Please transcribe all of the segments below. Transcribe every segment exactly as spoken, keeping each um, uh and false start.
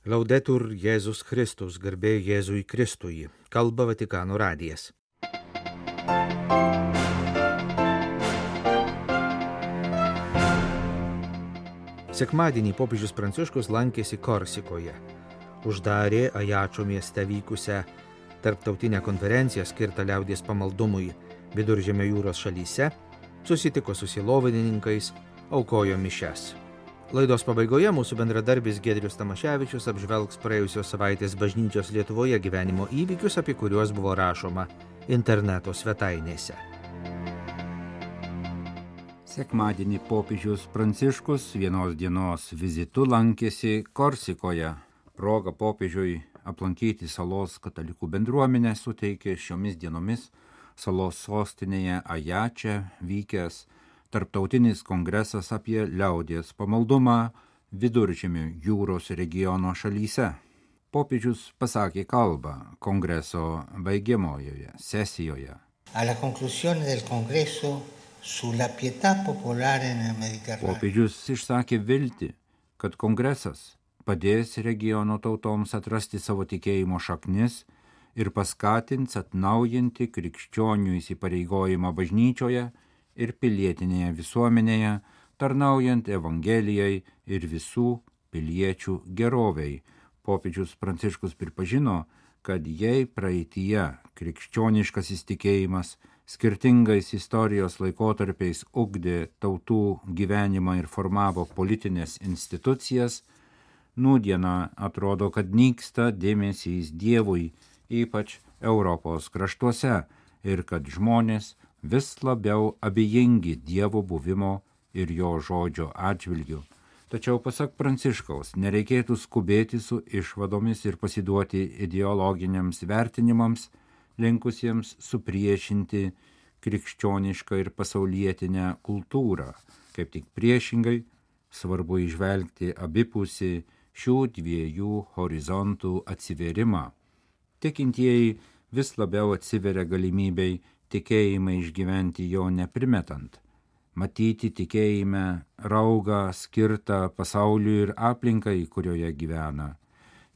Laudetur Jėzus Kristus, garbė Jėzui Kristui, kalba Vatikano radijas. Sekmadienį popiežius Pranciškus lankėsi Korsikoje. Uždarė Ajačio mieste vykusią tarptautinę konferenciją skirtą liaudies pamaldumui Viduržemio jūros šalyse, susitiko su sielovadininkais, aukojo mišias. Laidos pabaigoje mūsų bendradarbis Giedrius Tamaševičius apžvelgs praėjusios savaitės bažnyčios Lietuvoje gyvenimo įvykius, apie kuriuos buvo rašoma interneto svetainėse. Sekmadienį popiežius Pranciškus vienos dienos vizitu lankėsi Korsikoje. Proga popiežiui aplankyti salos katalikų bendruomenę suteikė šiomis dienomis salos sostinėje Ajače vykęs Tarptautinis kongresas apie liaudies pamaldumą Viduržemio jūros regiono šalyse. Popiežius pasakė kalbą kongreso baigiamojoje sesijoje. Popiežius išsakė viltį, kad kongresas padės regiono tautoms atrasti savo tikėjimo šaknis ir paskatins atnaujinti krikščionių įsipareigojimą bažnyčioje ir pilietinėje visuomenėje, tarnaujant Evangelijai ir visų piliečių geroviai. Popiežius Pranciškus pripažino, kad jei praeityje krikščioniškas įtikėjimas skirtingais istorijos laikotarpiais ugdė tautų gyvenimą ir formavo politinės institucijas, nūdiena atrodo, kad nyksta dėmesys Dievui, ypač Europos kraštuose, ir kad žmonės vis labiau abejingi Dievo buvimo ir jo žodžio atžvilgiu. Tačiau pasak Pranciškaus, nereikėtų skubėti su išvadomis ir pasiduoti ideologiniams vertinimams, linkusiems supriešinti krikščionišką ir pasaulietinę kultūrą. Kaip tik priešingai, svarbu įžvelgti abipusį šių dviejų horizontų atsivėrimą. Tikintieji vis labiau atsiveria galimybei tikėjimą išgyventi jo neprimetant, matyti tikėjime raugą skirtą pasauliui ir aplinkai, kurioje gyvena.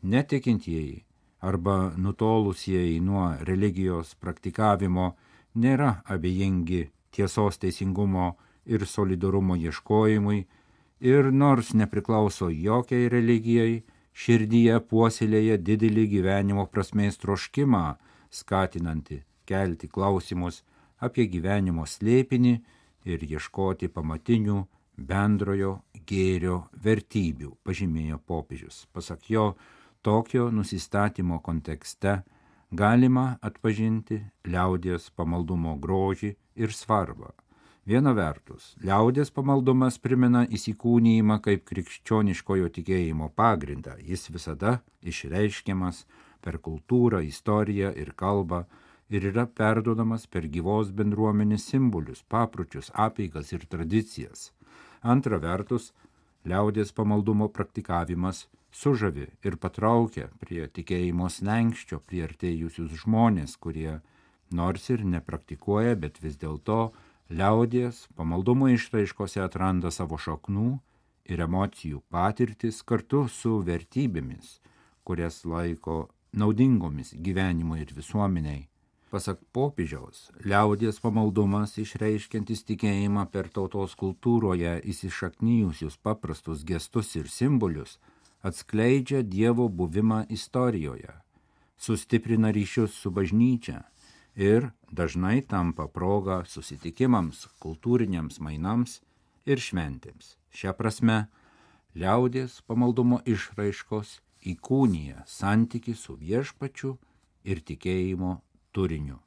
Netikintieji arba nutolusieji nuo religijos praktikavimo nėra abejingi tiesos, teisingumo ir solidarumo ieškojimui ir nors nepriklauso jokiai religijai, širdyje puoselėja didelį gyvenimo prasmės troškimą, skatinantį kelti klausimus apie gyvenimo slėpinį ir ieškoti pamatinių bendrojo gėrio vertybių, pažymėjo popiežius. Pasak jo, tokio nusistatymo kontekste galima atpažinti liaudies pamaldumo grožį ir svarbą. Viena vertus, liaudies pamaldumas primena įsikūnijimą kaip krikščioniškojo tikėjimo pagrindą. Jis visada išreiškiamas per kultūrą, istoriją ir kalbą, ir yra perduodamas per gyvos bendruomenės simbolius, papročius, apeigas ir tradicijas. Antra vertus, liaudies pamaldumo praktikavimas sužavi ir patraukia prie tikėjimo slenkščio priartėjusius žmonės, kurie nors ir nepraktikuoja, bet vis dėlto liaudies pamaldumo išraiškose atranda savo šaknų ir emocijų patirtis kartu su vertybėmis, kurias laiko naudingomis gyvenimui ir visuomeniai. Pasak popiežiaus, liaudies pamaldumas išreiškiantis tikėjimą per tautos kultūroje įsišaknijusius paprastus gestus ir simbolius atskleidžia Dievo buvimą istorijoje, sustiprina ryšius su bažnyčia ir dažnai tampa proga susitikimams, kultūriniams mainams ir šventėms. Šia prasme, liaudies pamaldumo išraiškos įkūnija santykį su viešpačiu ir tikėjimo turiniu.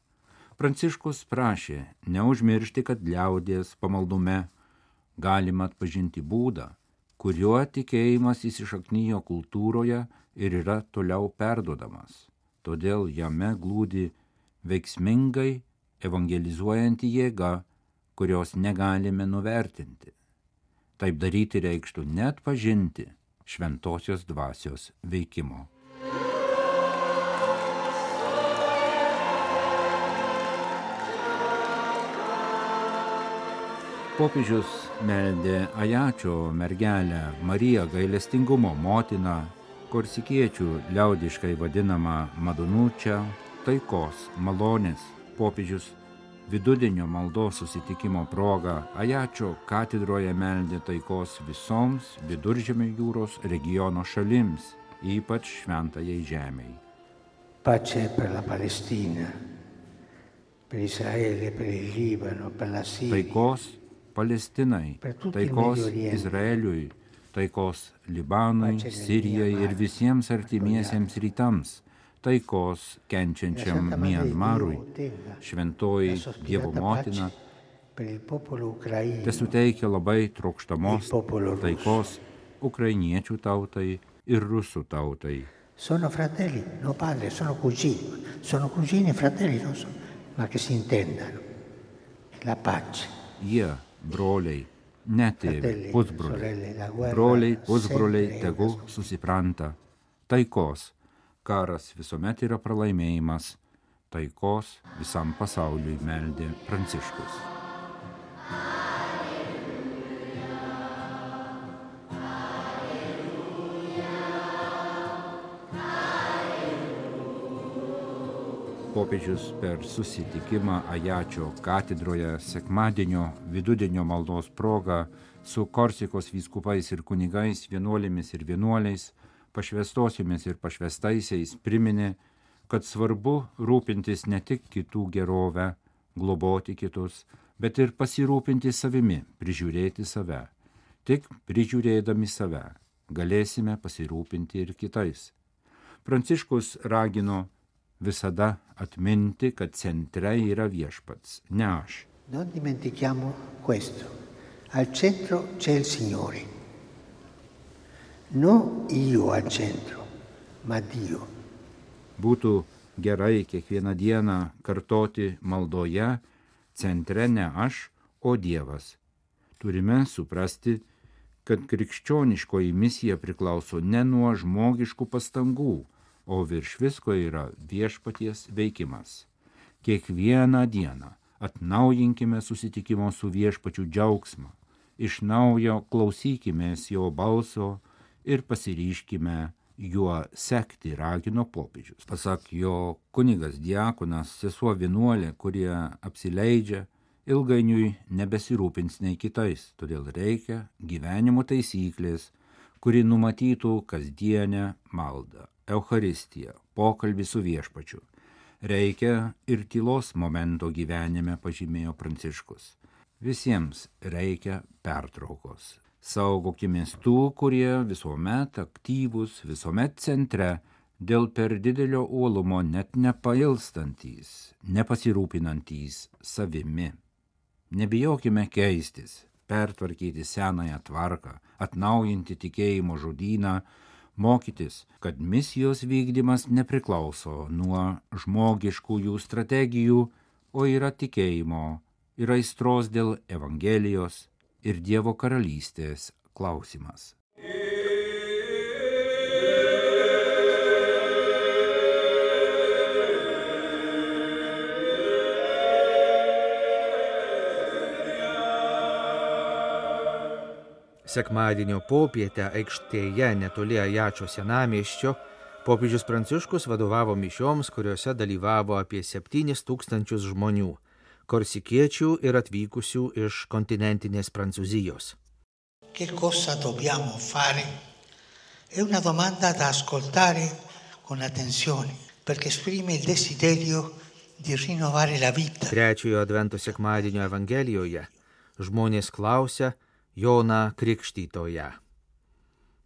Pranciškus prašė neužmiršti, kad liaudies pamaldume galima atpažinti būdą, kuriuo tikėjimas įsišaknijo kultūroje ir yra toliau perduodamas. Todėl jame glūdi veiksmingai evangelizuojanti jėga, kurios negalime nuvertinti. Taip daryti reikštų net pažinti šventosios dvasios veikimo. Popiežius meldė Ajačio mergelę Mariją gailestingumo motiną Korsikiečių liaudiškai vadinama Madonučia, taikos, malonės, popiežius vidudienio maldos susitikimo proga Ajačio katedroje meldė taikos visoms Viduržemio jūros regiono šalims, ypač šventajai žemei. Pace per la Palestina, per Israele, per il Libano, per la Siria. Taikos Palestinai, taikos Izraeliui, taikos Libanui, Sirijai ir visiems artimiesiems rytams, taikos kenčiančiam Mianmarui, šventoji Dievo motina, tesuteikia labai trokštamos taikos ukrainiečių tautai ir rusų tautai. Sono fratelli, no padre, sono cugini, sono cugini e fratelli, non sono, ma che si intendano. La pace. Jie, broliai, ne tėvai, pusbroliai, broliai, pusbroliai, tegu susipranta. Taikos. Karas visuomet yra pralaimėjimas. Taikos visam pasauliui meldė Pranciškus. Popiežius per susitikimą Ajačio katedroje sekmadienio vidudienio maldos proga su Korsikos vyskupais ir kunigais, vienuolėmis ir vienuoliais, pašvęstosiomis ir pašvęstaisiais priminė, kad svarbu rūpintis ne tik kitų gerovę, globoti kitus, bet ir pasirūpinti savimi, prižiūrėti save. Tik prižiūrėdami save galėsime pasirūpinti ir kitais. Pranciškus ragino visada atminti, kad centre yra viešpats, ne aš. Non dimentichiamo questo. Al centro c'è il Signore. Non io al centro, ma Dio. Būtų gerai kiekvieną dieną kartoti maldoje, centre ne aš, o Dievas. Turime suprasti, kad krikščioniškoji misija priklauso ne nuo žmogiškų pastangų, o virš visko yra viešpaties veikimas. Kiekvieną dieną atnaujinkime susitikimo su viešpačiu džiaugsmą, iš naujo klausykimės jo balso ir pasiryškime juo sekti, ragino popiežius. Pasak jo, kunigas diakonas, sesuo vienuolė, kurie apsileidžia, ilgainiui nebesirūpins nei kitais, todėl reikia gyvenimo taisyklės, kuri numatytų kasdienę maldą. Eucharistija, pokalbį su viešpačiu. Reikia ir tylos momento gyvenime, pažymėjo Pranciškus. Visiems reikia pertraukos. Saugokimės tų, kurie visuomet aktyvūs, visuomet centre, dėl per didelio uolumo net nepailstantys, nepasirūpinantys savimi. Nebijokime keistis, pertvarkyti senąją tvarką, atnaujinti tikėjimo žodyną, mokytis, kad misijos vykdymas nepriklauso nuo žmogiškųjų strategijų, o yra tikėjimo ir aistros dėl Evangelijos ir Dievo karalystės klausimas. Sekmadienio popietę aikštėje netoli Ajačio senamiesčio popiežius Pranciškus vadovavo mišioms, kuriuose dalyvavo apie septynis tūkstančius žmonių, korsikiečių ir atvykusių iš kontinentinės Prancūzijos. Che cosa dobbiamo fare? È una domanda da ascoltare con attenzione, perché esprime il desiderio di rinnovare la vita. Trečiojo advento sekmadienio Evangelijoje žmonės klausia Joną Krikštytoją.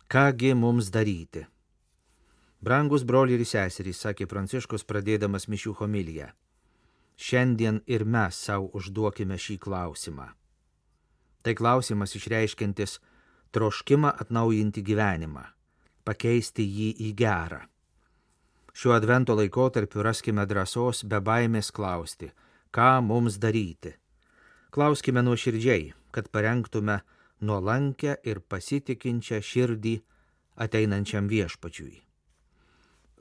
Kągi mums daryti? Brangus broliai ir seserys, sakė Pranciškus pradėdamas mišių homiliją. Šiandien ir mes savo užduokime šį klausimą. Tai klausimas išreiškiantis troškimą atnaujinti gyvenimą, pakeisti jį į gerą. Šiuo advento laikotarpiu raskime drąsos be baimės klausti, ką mums daryti. Klauskime nuoširdžiai, kad parengtume nuolankę ir pasitikinčią širdį ateinančiam viešpačiui.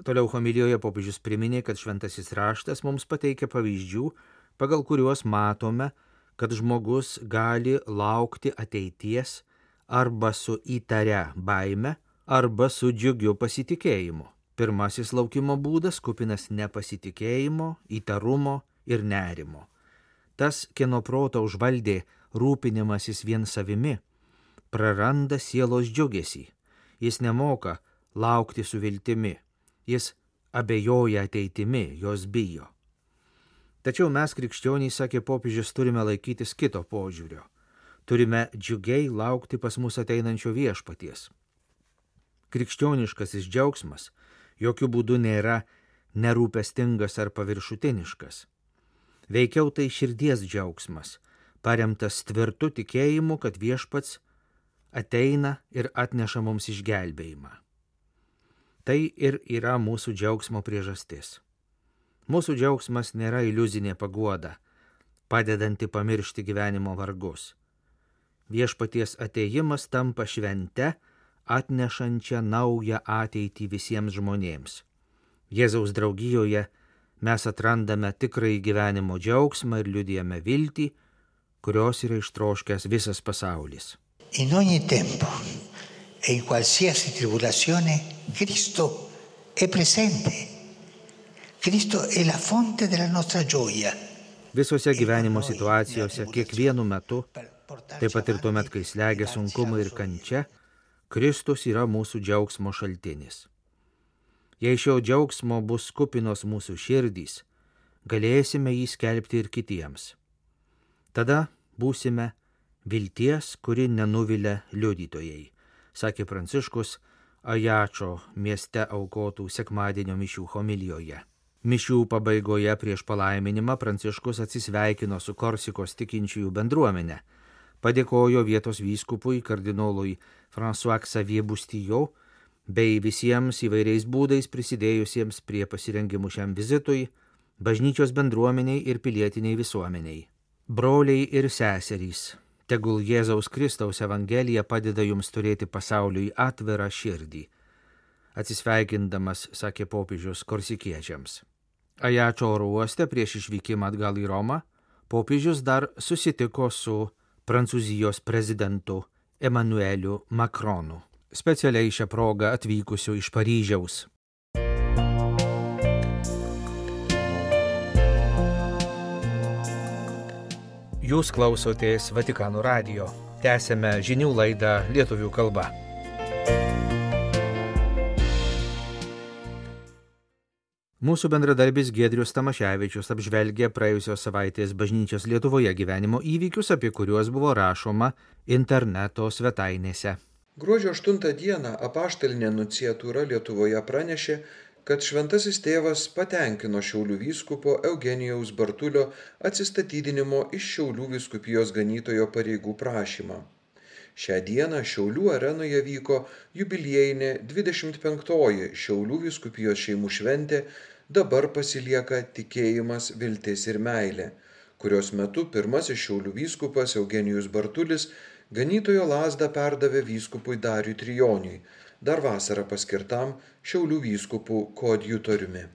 Toliau homilijoje popiežius priminė, kad šventasis raštas mums pateikia pavyzdžių, pagal kuriuos matome, kad žmogus gali laukti ateities arba su įtaria baime, arba su džiugiu pasitikėjimu. Pirmasis laukimo būdas kupinas nepasitikėjimo, įtarumo ir nerimo. Tas, kieno protą užvaldė rūpinimasis vien savimi, praranda sielos džiugesį. Jis nemoka laukti su viltimi. Jis abejoja ateitimi, jos bijo. Tačiau mes, krikščionys, sakė popiežius, turime laikytis kito požiūrio. Turime džiugiai laukti pas mus ateinančio viešpaties. Krikščioniškasis džiaugsmas jokių būdų nėra nerūpestingas ar paviršutiniškas. Veikiau tai širdies džiaugsmas, paremtas tvirtu tikėjimu, kad viešpats ateina ir atneša mums išgelbėjimą. Tai ir yra mūsų džiaugsmo priežastis. Mūsų džiaugsmas nėra iliuzinė paguoda, padedanti pamiršti gyvenimo vargus. Viešpaties atėjimas tampa švente, atnešančią naują ateitį visiems žmonėms. Jėzaus draugijoje mes atrandame tikrąjį gyvenimo džiaugsmą ir liudijame viltį, kurios yra ištroškęs visas pasaulis. In ogni tempo e in qualsiasi tribolazione Cristo è presente. Cristo è la fonte della nostra gioia. Visose gyvenimo situacijose, kiekvienu metu, taip pat ir tuomet, kai slegia sunkumai ir kančia, Kristus yra mūsų džiaugsmo šaltinis. Jei šio džiaugsmo bus kupinos mūsų širdys, galėsime jį skelbti ir kitiems. Tada būsime vilties, kuri nenuvilia liudytojai, sakė Pranciškus Ajačo mieste aukotų sekmadienio mišių homilijoje. Mišių pabaigoje prieš palaiminimą Pranciškus atsisveikino su Korsikos tikinčiųjų bendruomenė, padėkojo vietos vyskupui kardinolui François Xavier Boustillot bei visiems įvairiais būdais prisidėjusiems prie pasirengimų šiam vizitui, bažnyčios bendruomeniai ir pilietiniai visuomeniai. Broliai ir seserys, tegul Jėzaus Kristaus Evangelija padeda jums turėti pasauliui atvirą širdį. Atsisveikindamas, sakė popiežius korsikiečiams. Ajačo oro uoste prieš išvykimą atgal į Romą, popiežius dar susitiko su Prancūzijos prezidentu Emmanueliu Macronu, specialiai šią progą atvykusiu iš Paryžiaus. Jūs klausotės Vatikano radijo. Tęsėme žinių laidą lietuvių kalba. Mūsų bendradarbis Giedrius Tamaševičius apžvelgė praėjusios savaitės bažnyčios Lietuvoje gyvenimo įvykius, apie kuriuos buvo rašoma interneto svetainėse. Gruodžio aštuntą dieną apaštalinė nunciatūra Lietuvoje pranešė, kad šventasis tėvas patenkino Šiaulių vyskupo Eugenijaus Bartulio atsistatydinimo iš Šiaulių vyskupijos ganytojo pareigų prašymą. Šią dieną Šiaulių arenoje vyko jubiliejinė dvidešimt penktoji Šiaulių vyskupijos šeimų šventė Dabar pasilieka tikėjimas, viltis ir meilė, kurios metu pirmasis Šiaulių vyskupas Eugenijus Bartulis ganytojo lazdą perdavė vyskupui Dariui Trijoniui, dar vasarą paskirtam Šiaulių vyskupų koadjutoriumi.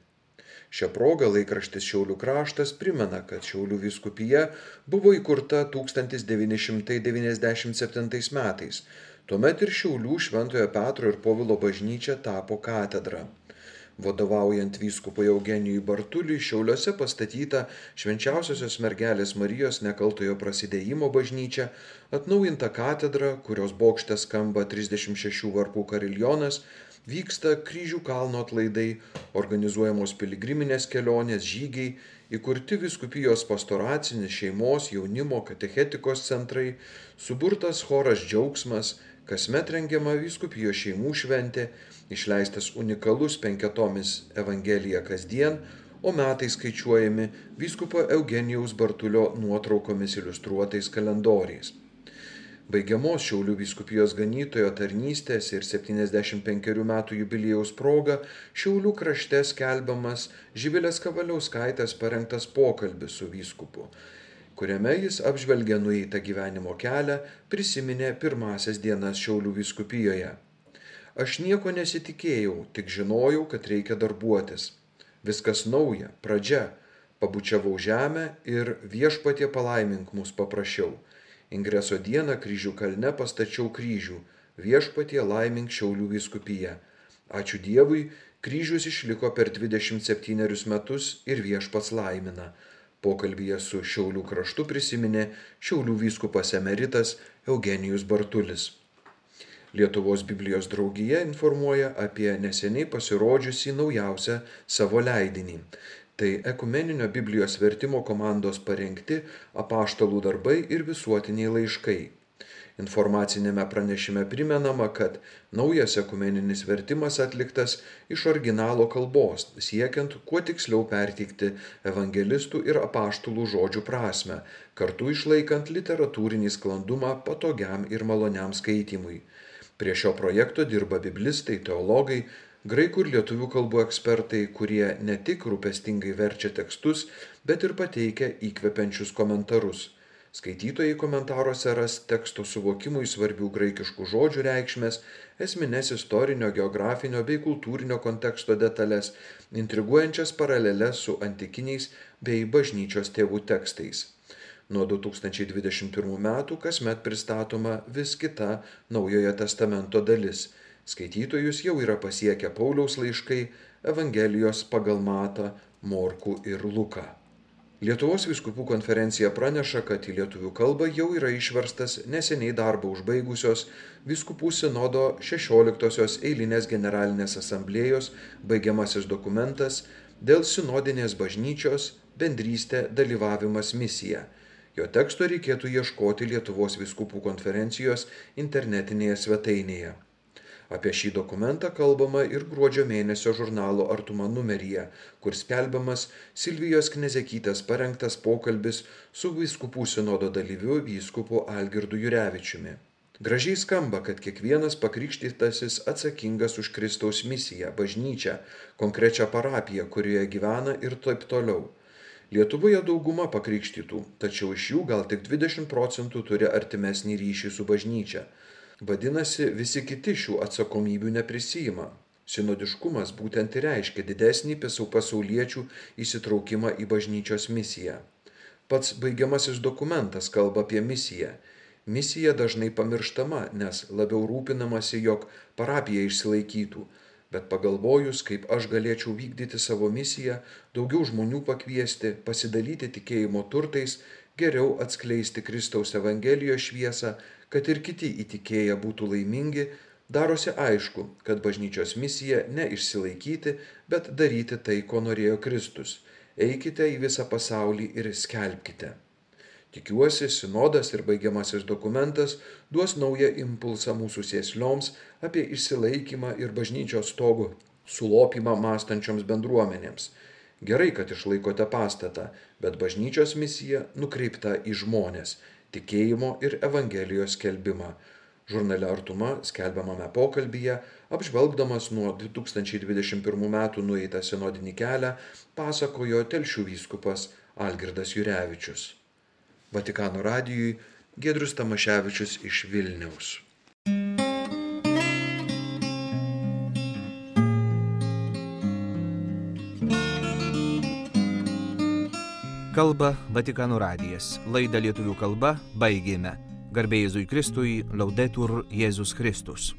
Šią progą laikraštis Šiaulių kraštas primena, kad Šiaulių vyskupija buvo įkurta tūkstantis devyni šimtai devyniasdešimt septintais metais, tuomet ir Šiaulių Šventojo Petro ir Povilo bažnyčia tapo katedra. Vadovaujant vyskupui Eugenijui Bartuliui Šiauliuose pastatyta Švenčiausiosios mergelės Marijos nekaltojo prasidėjimo bažnyčia, atnaujinta katedra, kurios bokšte skamba trisdešimt šešių varpų kariljonas, vyksta kryžių kalno atlaidai, organizuojamos piligriminės kelionės, žygiai, įkurti vyskupijos pastoracinis šeimos, jaunimo, katechetikos centrai, suburtas choras Džiaugsmas, kasmet rengiama vyskupijos šeimų šventė, išleistas unikalus penketomis Evangelija kasdien, o metai skaičiuojami vyskupo Eugenijaus Bartulio nuotraukomis iliustruotais kalendoriais. Baigiamos Šiaulių vyskupijos ganytojo tarnystės ir septyniasdešimt penkerių metų jubiliejaus proga Šiaulių krašte skelbiamas Živilės Kavaliauskaitės parengtas pokalbis su vyskupu, kuriame jis apžvelgia nueitą gyvenimo kelią, prisiminė pirmasias dienas Šiaulių vyskupijoje. Aš nieko nesitikėjau, tik žinojau, kad reikia darbuotis. Viskas nauja, pradžia. Pabučiavau žemę ir Viešpatie palaimink mus paprašiau. Ingreso dieną Kryžių kalne pastačiau kryžių. Viešpatie laimink Šiaulių vyskupiją. Ačiū Dievui, kryžius išliko per dvidešimt septynerius metus ir viešpats laimina. Pokalbyje su Šiaulių kraštu prisiminė Šiaulių vyskupas emeritas Eugenijus Bartulis. Lietuvos Biblijos draugija informuoja apie neseniai pasirodžiusį naujausią savo leidinį. Tai ekumeninio Biblijos vertimo komandos parengti apaštalų darbai ir visuotiniai laiškai. Informacinėme pranešime primenama, kad naujas ekumeninis vertimas atliktas iš originalo kalbos, siekiant kuo tiksliau perteikti evangelistų ir apaštalų žodžių prasmę, kartu išlaikant literatūrinį sklandumą patogiam ir maloniam skaitimui. Prie šio projekto dirba biblistai, teologai, graikų ir lietuvių kalbų ekspertai, kurie ne tik rūpestingai verčia tekstus, bet ir pateikia įkvepiančius komentarus. Skaitytojai komentaruose ras teksto suvokimui svarbių graikiškų žodžių reikšmės, esmines istorinio, geografinio bei kultūrinio konteksto detalės, intriguojančias paraleles su antikiniais bei bažnyčios tėvų tekstais. Nuo du tūkstančiai dvidešimt pirmų metų kasmet pristatoma vis kita Naujojo testamento dalis. Skaitytojus jau yra pasiekę Pauliaus laiškai, Evangelijos pagal Matą, Morkų ir Luką. Lietuvos vyskupų konferencija praneša, kad į lietuvių kalbą jau yra išverstas neseniai darbą užbaigusios vyskupų sinodo šešioliktosios eilinės generalinės asamblėjos baigiamasis dokumentas dėl sinodinės bažnyčios bendrystė, dalyvavimas, misija. Jo teksto reikėtų ieškoti Lietuvos vyskupų konferencijos internetinėje svetainėje. Apie šį dokumentą kalbama ir gruodžio mėnesio žurnalo Artuma numeryje, kur skelbiamas Silvijos Knezekytės parengtas pokalbis su vyskupų sinodo dalyviu vyskupu Algirdu Jurevičiumi. Gražiai skamba, kad kiekvienas pakrikštytasis atsakingas už Kristaus misiją, bažnyčią, konkrečią parapiją, kurioje gyvena ir taip toliau. Lietuvoje dauguma pakrikštytų, tačiau iš jų gal tik dvidešimt procentų turi artimesnį ryšį su bažnyčia. Vadinasi, visi kiti šių atsakomybių neprisijima. Sinodiškumas būtent ir reiškia didesnį pasauliečių įsitraukimą į bažnyčios misiją. Pats baigiamasis dokumentas kalba apie misiją. Misija dažnai pamirštama, nes labiau rūpinamasi, jog parapija išsilaikytų. Bet pagalvojus, kaip aš galėčiau vykdyti savo misiją, daugiau žmonių pakviesti, pasidalyti tikėjimo turtais, geriau atskleisti Kristaus Evangelijos šviesą, kad ir kiti įtikėję būtų laimingi, darosi aišku, kad bažnyčios misija ne išsilaikyti, bet daryti tai, ko norėjo Kristus. Eikite į visą pasaulį ir skelbkite. Tikiuosi, sinodas ir baigiamasis dokumentas duos naują impulsą mūsų sėslioms apie išsilaikymą ir bažnyčios stogo sulopymą mąstančioms bendruomenėms. Gerai, kad išlaikote pastatą, bet bažnyčios misija nukreipta į žmonės, tikėjimo ir Evangelijos skelbimą. Žurnale Artuma skelbiamame pokalbyje, apžvelgdamas nuo du tūkstančiai dvidešimt pirmų metų nueitą sinodinį kelią, pasakojo Telšių vyskupas Algirdas Jurevičius. Vatikano radijui Giedrius Tamaševičius iš Vilniaus. Kalba Vatikano radijas. Laidą lietuvių kalba baigėme. Garbė Jėzui Kristui, Laudetur Jėzus Kristus.